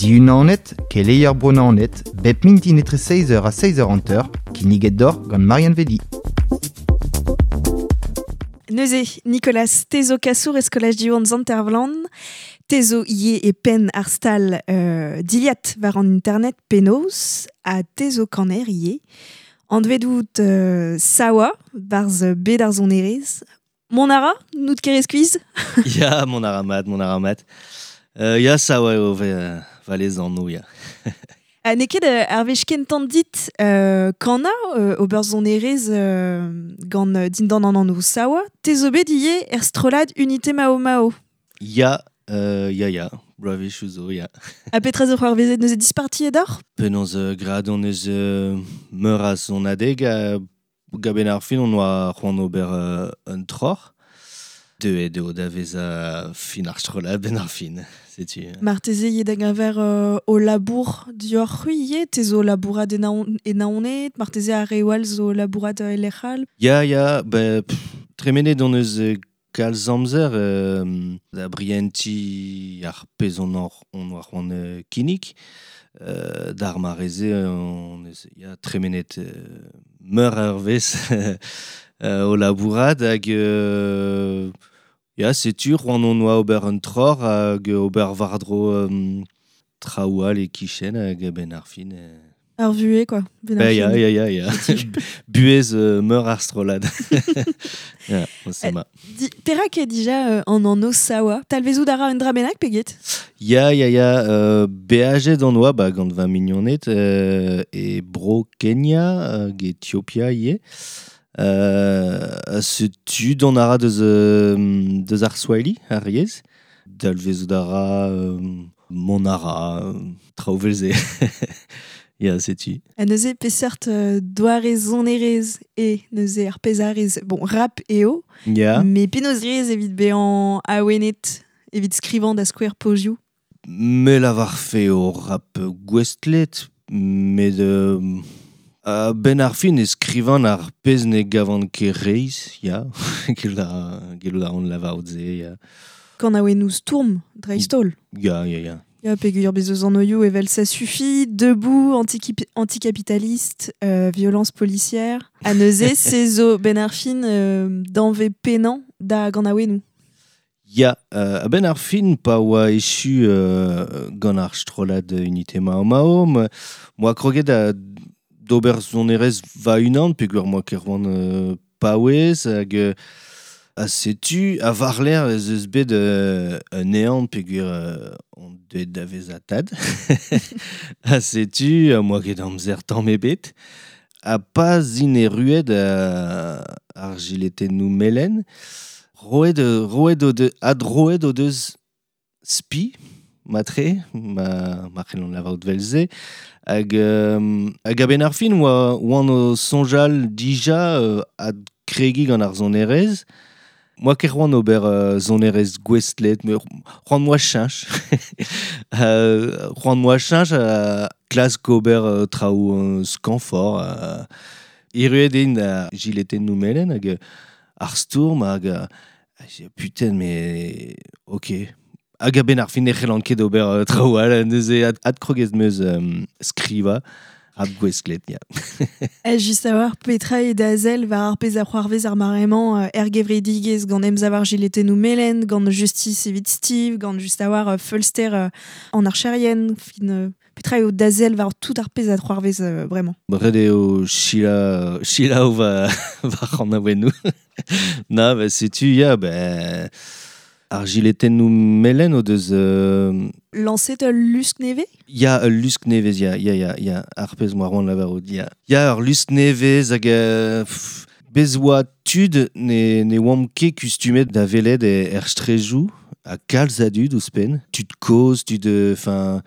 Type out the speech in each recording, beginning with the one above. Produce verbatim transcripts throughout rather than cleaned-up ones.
Diunanet, keleier bronanet, bep mintin etre seiz eur ha seiz eur hanter, kinniget d'or gant Marianne Vedi. Neuze, Nicolas, tezo kasour e skolaj Diwan Zantervlan, tezo ie e pen ar stal euh, diliat war an internet penaos, ha tezo kaner ie. Anvet out euh, Sawa, barz bet ar zonerez. Mon ara, nout kerez kuiz? Ya, mon ara mat, mon ara mat. Euh, ya, Sawa eo ve, valez an no, ya. Ha n'eo ket ar wech kentan dit euh, kana euh, ober zonerez euh, gant dindan an anv Sawa, te zo bet ivez er strollad Unité Mao Mao. Ya, euh, ya, ya, bloavezhioù zo, ya. Ha petra zo c'hoarvezet neuze disparti edoc'h? Penaos euh, graet hon eus euh, meur a sonadeg a gaben ar fin on oa c'hoant ober euh, un troc'h. Deuet eo da vezañ fin ar strollad ben ar fin, setu. Marteze eo da geñver euh, o labour dioc'h c'hwi ivez, te zo labourat e Naon, e Naoned, marteze ar re all zo labourat e lec'h all. Ya, ya, ben, pff, tremenet hon eus euh, kalz amzer euh, da brienti ar pezh on or, on oa c'hoant euh, kinnig. Euh, d'ar mareze on eus, ya, tremenet euh, meur a eurvezh euh, o labourat hag euh, ya, setu c'hoant on oa ober un troc'h hag ober war-dro euh, traoù all e kichen hag ben ar fin. Euh... Ar vuhez, quoi. Ben ar Ben, ya, fin. ya, ya, ya. Buhez euh, meur ar strollad. Ya, on se ma. Di, perak eo dija euh, an anv Sawa? Talvezout a ra un dra bennak, pe get? Ya, ya, ya, euh, beajet on oa, ba, gant va mignoned, euh, e bro Kenya hag Ethiopia ivez. Euh, setu dont a ra deus, euh, deus ar Swahili, ar yezh. Dalvezout a ra, euh, mont a ra, euh, traoù vel-se. Ya, setu. Ha neuze peseurt euh, doare sonerezh e neuze ar pezh a rez, bon, rap eo, Ya. mais penaos rez evit bezañ awenet, evit skrivañ da skouer pozioù? Me lavarfe o rap gouestlet, met euh, a ben ar fin e skrivan ar pezh ne gavan ket reizh, ya. Gellout a, gellout a ran lavarout se, ya. Kanaouennoù stourm, dreist-holl. Ya, ya, ya. Ya, peogwir bez eus an oioù evel ça suffit, debout, antikip-, anticapitaliste, euh, violence policière. Ha neuze, se zo ben ar fin, euh, danve penañ da ganaouennoù. Ya, euh, a-benn ar fin pa oa echu euh, gant ar strollad Unité Mao Mao, me, moa kroget da d'ober sonerezh va unan, peogwir moa ket c'hoant, euh, paouez, hag, euh, ha setu, a war-lerc'h ez eus bet, euh, un ehan peogwir, euh, on deuet da vezañ tad. Ha setu, ha moa ket amzer tamm ebet. Ha pa zin erruet, euh, ar jiletennoù melen, roet, roet o de, adroet o deus spi, matre, ma, ma c'hellont lavarout vel-se, hag, euh, hag a-benn ar fin oa, oan o soñjal dija, euh, adkregiñ gant ar sonerezh. Moa ket c'hoant ober, euh, sonerezh gouestlet, met c'hoant moa cheñch. Euh, c'hoant moa cheñch, euh, klask ober, euh, traoù, euh, skañvoc'h. Euh, erruet int a jiletennoù melen hag, euh, ar stourm hag, euh, j'ai, putain, mais ok. Hag a-benn ar fin ne c'hellan ket ober, euh, traoù all, neuze ad-, adkrogez meus, euh, skrivañ rap gouestlet, ya. Eh, just a war, petra eo da sell war ar pezh a c'hoarvez ar mare-mañ, euh, er gevredigezh gant emsav ar jiletennoù melen, gant Justice evit Steve, gant just a war, euh, feulster, euh, an archerien, fin, euh, petra eo da sell war tout ar pezh a c'hoarvez, euh, bremañ. Ret eo sila, sila va, va c'hanaouennoù. Na, ba, setu, ya, ben, ar jiletennoù melen o deus, euh, Lañset ul lusk nevez? Ya, ul lusk nevez, ya, ya, ya, ya, ar pezh moa c'hoant lavarout, ya. Ya, ur lusk nevez hag, euh, pff, bez oa tud ne, ne oamp ket kustumet da welet e, er strejoù, ha kalz a dud ouzhpenn, tud kozh, tud, euh, enfin,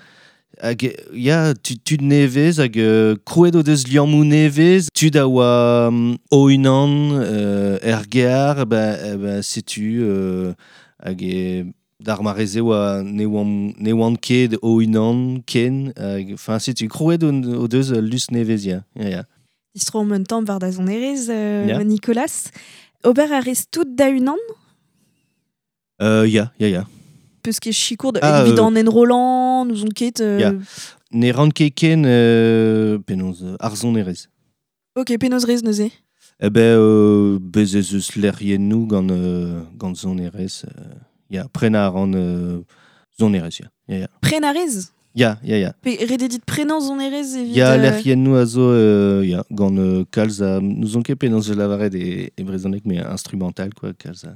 hag, ya, tud, tud nevez hag, euh, krouet o deus liammoù nevez, tud a oa, um, o-unan, euh, er gear, ba, eh, ba, setu, euh, hag e, d'ar mareze oa ne oan, ne oan ket o-unan ken, hag, enfin, setu, krouet o, o deus lusk nevez, ya, ya, ya. Distro omp un tamm war da sonerezh, euh, Ya. Nicolas. Ober a rez tout da unan? Euh, ya, ya, ya. peus ket sikour Ah, evit euh, an enrollant, nous on ket... Euh... Ya. Ne ran ket ken euh, penaos ar sonerezh. Ok, penaos rez neuze. Eh ben, euh, bez ez eus lec'hiennoù gant, euh, gant sonerezh. Euh, ya, prena a ran euh, sonerezh, ya. Ya, ya. Prena rez Ya, ya, ya. Pe rededit prenañ sonerezh evit... Ya, euh, lec'hiennoù a zo, euh, ya, gant euh, kalz a... Nous on ket penaos lavaret e, e brezhoneg, mais instrumental, quoi, kalz a...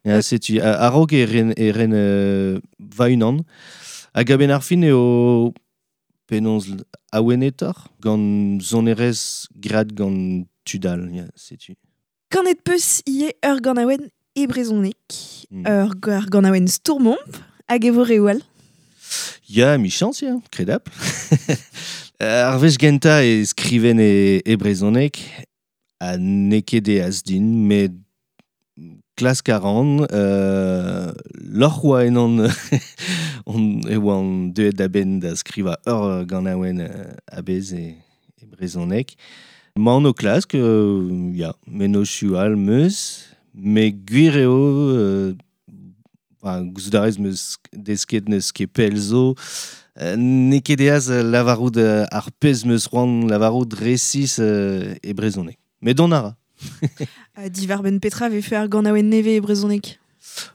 Ya, setu, a- a-raok e ren, e ren euh, va-unan. Hag a-benn ar fin eo penaos awenetor gant sonerezh graet gant tudal, ya, setu. Kanet peus ie ur ganaouenn e brezhoneg, Mm. ur ur ganaouenn stourmomp, hag e vo reoù all. Ya, michans, ya, kredap. Ar wech genta e skriven e, e brezhoneg, ha n'eo ket eas din, met klask a ran, euh, lorc'h oa ennon on, e oan deuet da benn da skriva ur ganaouenn euh, a-bezh e, e brezhoneg. Ma an o klask, euh, ya, mennozhioù all meus, met gwir eo, euh, ba, gouzout a rez meus desket neus ket pell zo, euh, n'eo ket eas lavarout euh, ar pezh meus c'hoant lavarout resis euh, e brezhoneg. Met dont a ra. Uh, Diwar benn petra vefe ar ganaouenn nevez e brezhoneg.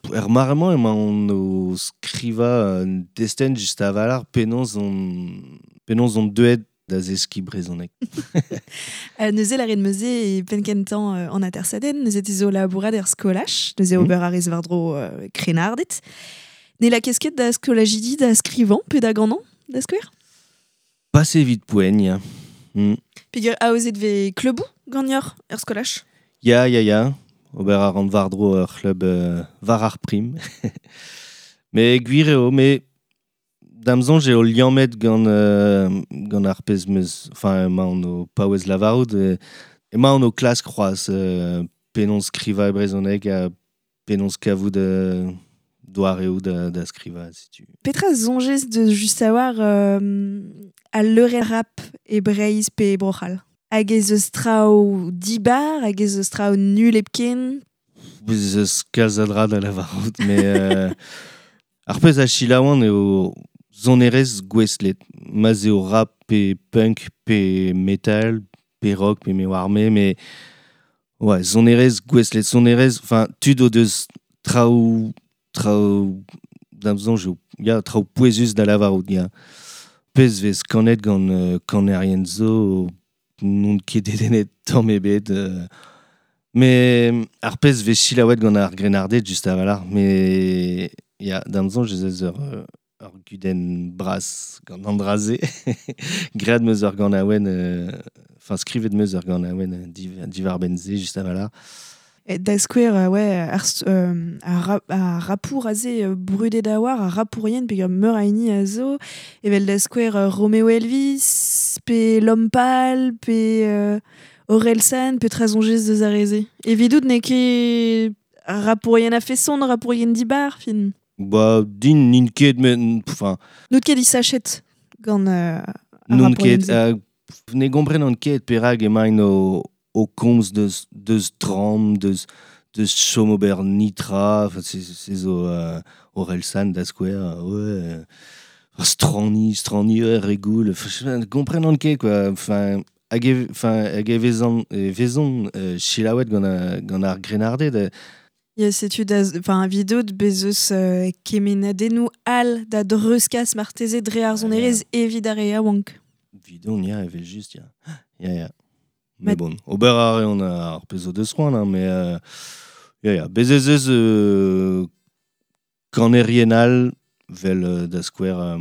Er mare-mañ emañ on o skriva un destenn just a-walc'h penaos on, penaos on deuet da zeskiñ brezhoneg. Uh, neuze la ret meuze e penn-kentañ euh, an atersadenn, neuze te zo labourat er skolaj, neuze Mm. ober a rez war-dro euh, krennarded. Ne la kesket da skolajidi da skrivañ pe da ganañ, da skouer? Pas evit poent, ya. Mm. Peogwir aozet vez kleuboù ganeoc'h er skolaj? Ya, ya, ya. Ober a ran war-dro ur c'hlub euh, war ar prim. Mais gwir eo, mais da'm soñj eo liammet gant, euh, gant ar pezh meus... Enfin, emañ on o paouez lavarout. Euh, emañ on o klask c'hoazh euh, penaos skrivañ e brezhoneg ha penaos kavout euh, doareoù da, da skrivañ, setu. Petra soñjez de just a-walc'h euh, al leurenn rap e Breizh pe e Bro-C'hall? Hag ez eus traoù dibar, hag ez eus traoù nul hepken? Bez eus kalz a dra da lavarout, mais euh, ar pezh a selaouan eo sonerezh gouestlet. Ma'z eo rap pe punk pe metal pe rock pe me oar me, mais ouais, sonerezh gouestlet, sonerezh, enfin, tud o deus traoù, traoù, da'm soñj eo, ya, traoù pouezus da lavarout, ya. Pezh vez kanet gant euh, kanerien zo, n'on ket dedennet tamm ebet, euh, mais ar pezh vez selaouet gant ar grennarded just a-walc'h, mais ya, da'm soñj ez eus ur, euh, ur gudenn bras gant an dra-se. Graet meus ur ganaouenn, euh, enfin, skrivet meus ur ganaouenn euh, div, diwar benn se just a-walc'h. E da skouer, euh, ouais, ar, st- euh, ar, rap, ar rapour aze euh, brudet da war, ar rapourien peogwir meur a hini a zo, evel da skouer euh, Romeo Elvis, pe L'Homme Pâle, pe euh, Orelsan, pe petra soñjez deus ar re-se. Evidout n'eo ket rapourien a feson, rapourien dibar, fin. Ba, din n'int ket, met, enfin, N'out ket disachet gant euh, ar N'on rapourien ket, se. euh, ne gomprenan ket perak emaint o, o komz deus, deus dramm, deus, deus chom ober nitra, enfin, se, se zo euh, Orelsan da skouer, euh, ouais, euh, strani, strani, ouais, regoul, enfin, ne gomprenan ket, quoi, enfin, hag e, enfin, hag e vezan, e vezon euh, selaouet gant, a, gant ar grennarded, euh, Ya, setu da, enfin, vidot bez eus euh, kemenadennoù all da dreuzkas marteze dre ar sonerezh evit ar re yaouank. Vidon, ya, evel just, ya. Ya, ya. Ma- Mais bon, ober a reont ar pezh o deus c'hoant, hein, mais euh, ya, ya. Bez ez eus euh, kanerien all vel euh, da skouer euh,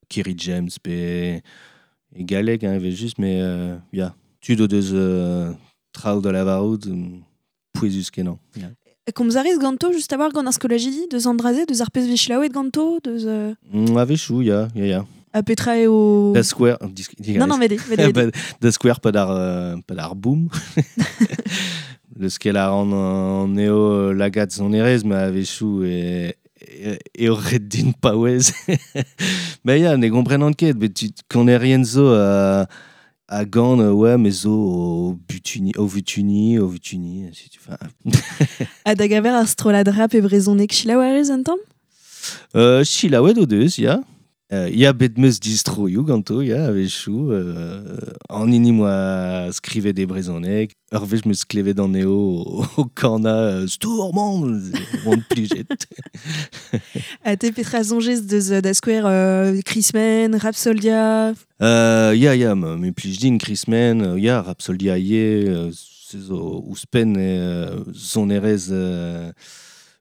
Kerry James pe e galleg, hein, evel just, mais euh, ya. Tud o deus euh, traoù da lavarout, euh, pouezus kenañ. Ya. Komz a rez ganto just a-walc'h gant ar skolajidi, deus an dra-se, deus ar pezh vez selaouet ganto, deus... Euh, Mm, a-wechoù, ya, ya, ya. a petra eo... Da skouer... disk- Non, non, vede, vede, vede. Ba, da skouer pad ar, euh, pad ar boom. Le skel a ran an eo euh, lagad sonerezh, ma a-wechoù e, e, eo ret din paouez. Mais ya, ne gomprenan ket, bet tu kanerien zo a, a gant, euh, ouais, mais zo o butuni, o vutuni, o vutuni, si tu fais. Ha da gaver ar strollad rap e brezhoneg selaou a rez un tamm? Euh, Chilaouet o deus, ya. Euh, ya bet meus distroioù ganto, ya, a-wechoù. Euh, an hini moa skrivet e brezhoneg. Ur wech meus klevet an eo o, o kana euh, stourmant, oan plijet. A te petra soñjez deus da skouer euh, Krismen, Rapsoldia. Euh, ya, ya, me, me plij din Krismen, euh, ya, Rapsoldia ivez, euh, se zo ouzhpenn euh, sonerezh euh,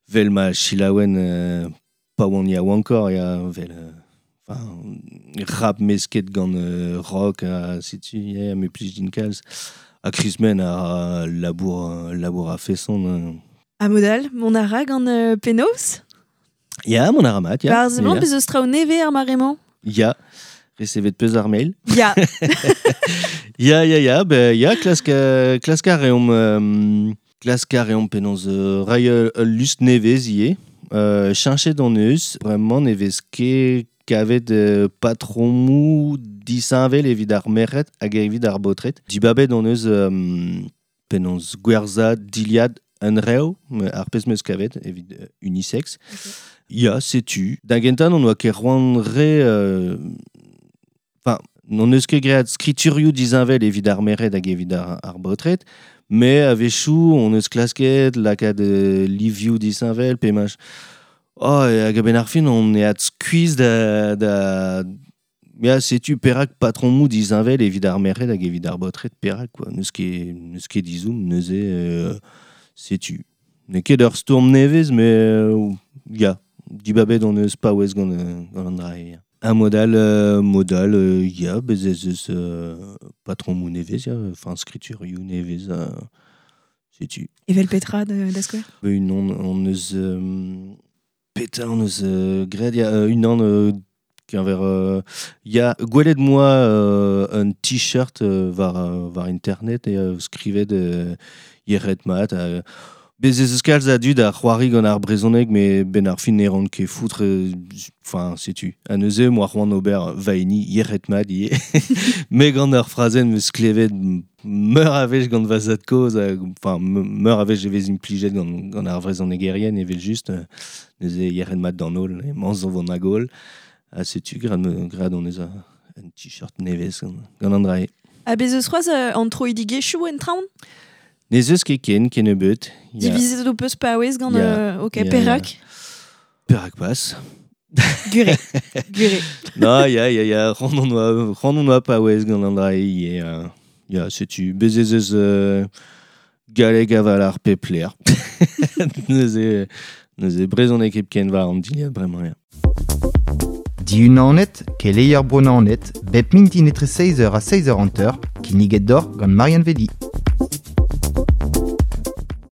vel ma chilaouen euh, pa oan yaouankoc'h, ya, vel... Euh, enfin, rap mesket gant euh, rock, ha setu, ya, me plij din kalz. Ha Krismen a labour, labour a feson. Euh. A modal, mont a ra gant euh, penaos? Ya, mont a ra mat, ya. War a seblant Ya. bez eus traoù nevez ar mare-mañ? Ya, resevet peus ar mail. Ya. Ya, ya, ya, ben, ya, klask, euh, klask a reomp, euh, klask a reomp penaos euh, rai ul lusk nevez ivez. Euh, cheñchet hon eus, bremañ ne vez ket kavet euh, patromoù disheñvel evit ar merc'hed hag evit ar baotred. Dibabet hon eus euh, penaos gwerzhañ dilhad un rev, ar pezh meus kavet evit euh, unisex. Okay. Ya, setu. Da gentañ on oa ket c'hoant re... Euh, enfin, n'hon eus ket graet skriturioù disheñvel evit ar merc'hed hag evit ar, ar baotred, mais a-wechoù on eus klasket lakaat euh, livioù disheñvel, pe mach... Oh, hag a-benn ar fin, on e skuizh da, da... Ya, setu perak patromoù disheñvel evit ar merc'hed hag evit ar baotred, perak, quoi. N'eus ket, n'eus ket dizoum, neuze, euh, setu. N'eo ket ur stourm nevez, mais euh, ya, dibabet on eus paouez gant, gant an dra ya. Un modal, euh, modal, euh, ya, bez ez eus euh, patromoù nevez, ya, enfin, skriturioù nevez, euh, setu. Evel petra da, da skouer? Un on, on eus... Euh, Petra on eus euh, graet, ya, euh, unan euh, keñver euh, ya gwelet moa euh, un t-shirt euh, war, euh, war internet e euh, skrivet euh, yec'hed mat. Euh, bez ez eus kalz a dud a c'hoari gant ar brezhoneg, mais ben ar fin ne ran ket foutre, enfin, setu. Ha neuze, moa c'hoant ober va hini yec'hed mat ivez. Me gant ur frazenn meus klevet meur a wech gant va zad-kozh, enfin, meur a wech e vez implijet gant, gant ar vrezhonegerien evel just, euh, neuze yec'hed mat d'an holl, emañ zo vont hag holl. Ha setu, graet, graet on eus un t-shirt nevez gant, gant an dra-se. Ha bez eus c'hoazh euh, an troidigezhioù en traoñ? N'ez eus ket ken, kennebeut. Ya. Divizet ho peus paouez gant... Ya. Euh, ok, Ya, ya. perak? Perak pas. Gure. Gure. Non, ya, ya, ya, c'hoant on oa, c'hoant on oa paouez gant an dra-se ivez. Euh, ya, setu, bez ez eus euh, galleg aval ar pep lec'h. Neuze, neuze brezhoneg hepken war an dilhad bremañ, ya. Dihunanet, keleier Bro Naoned, bep mintin etre seizh eur ha seizh eur hanter, kinniget deoc'h gant Marianne Vedi.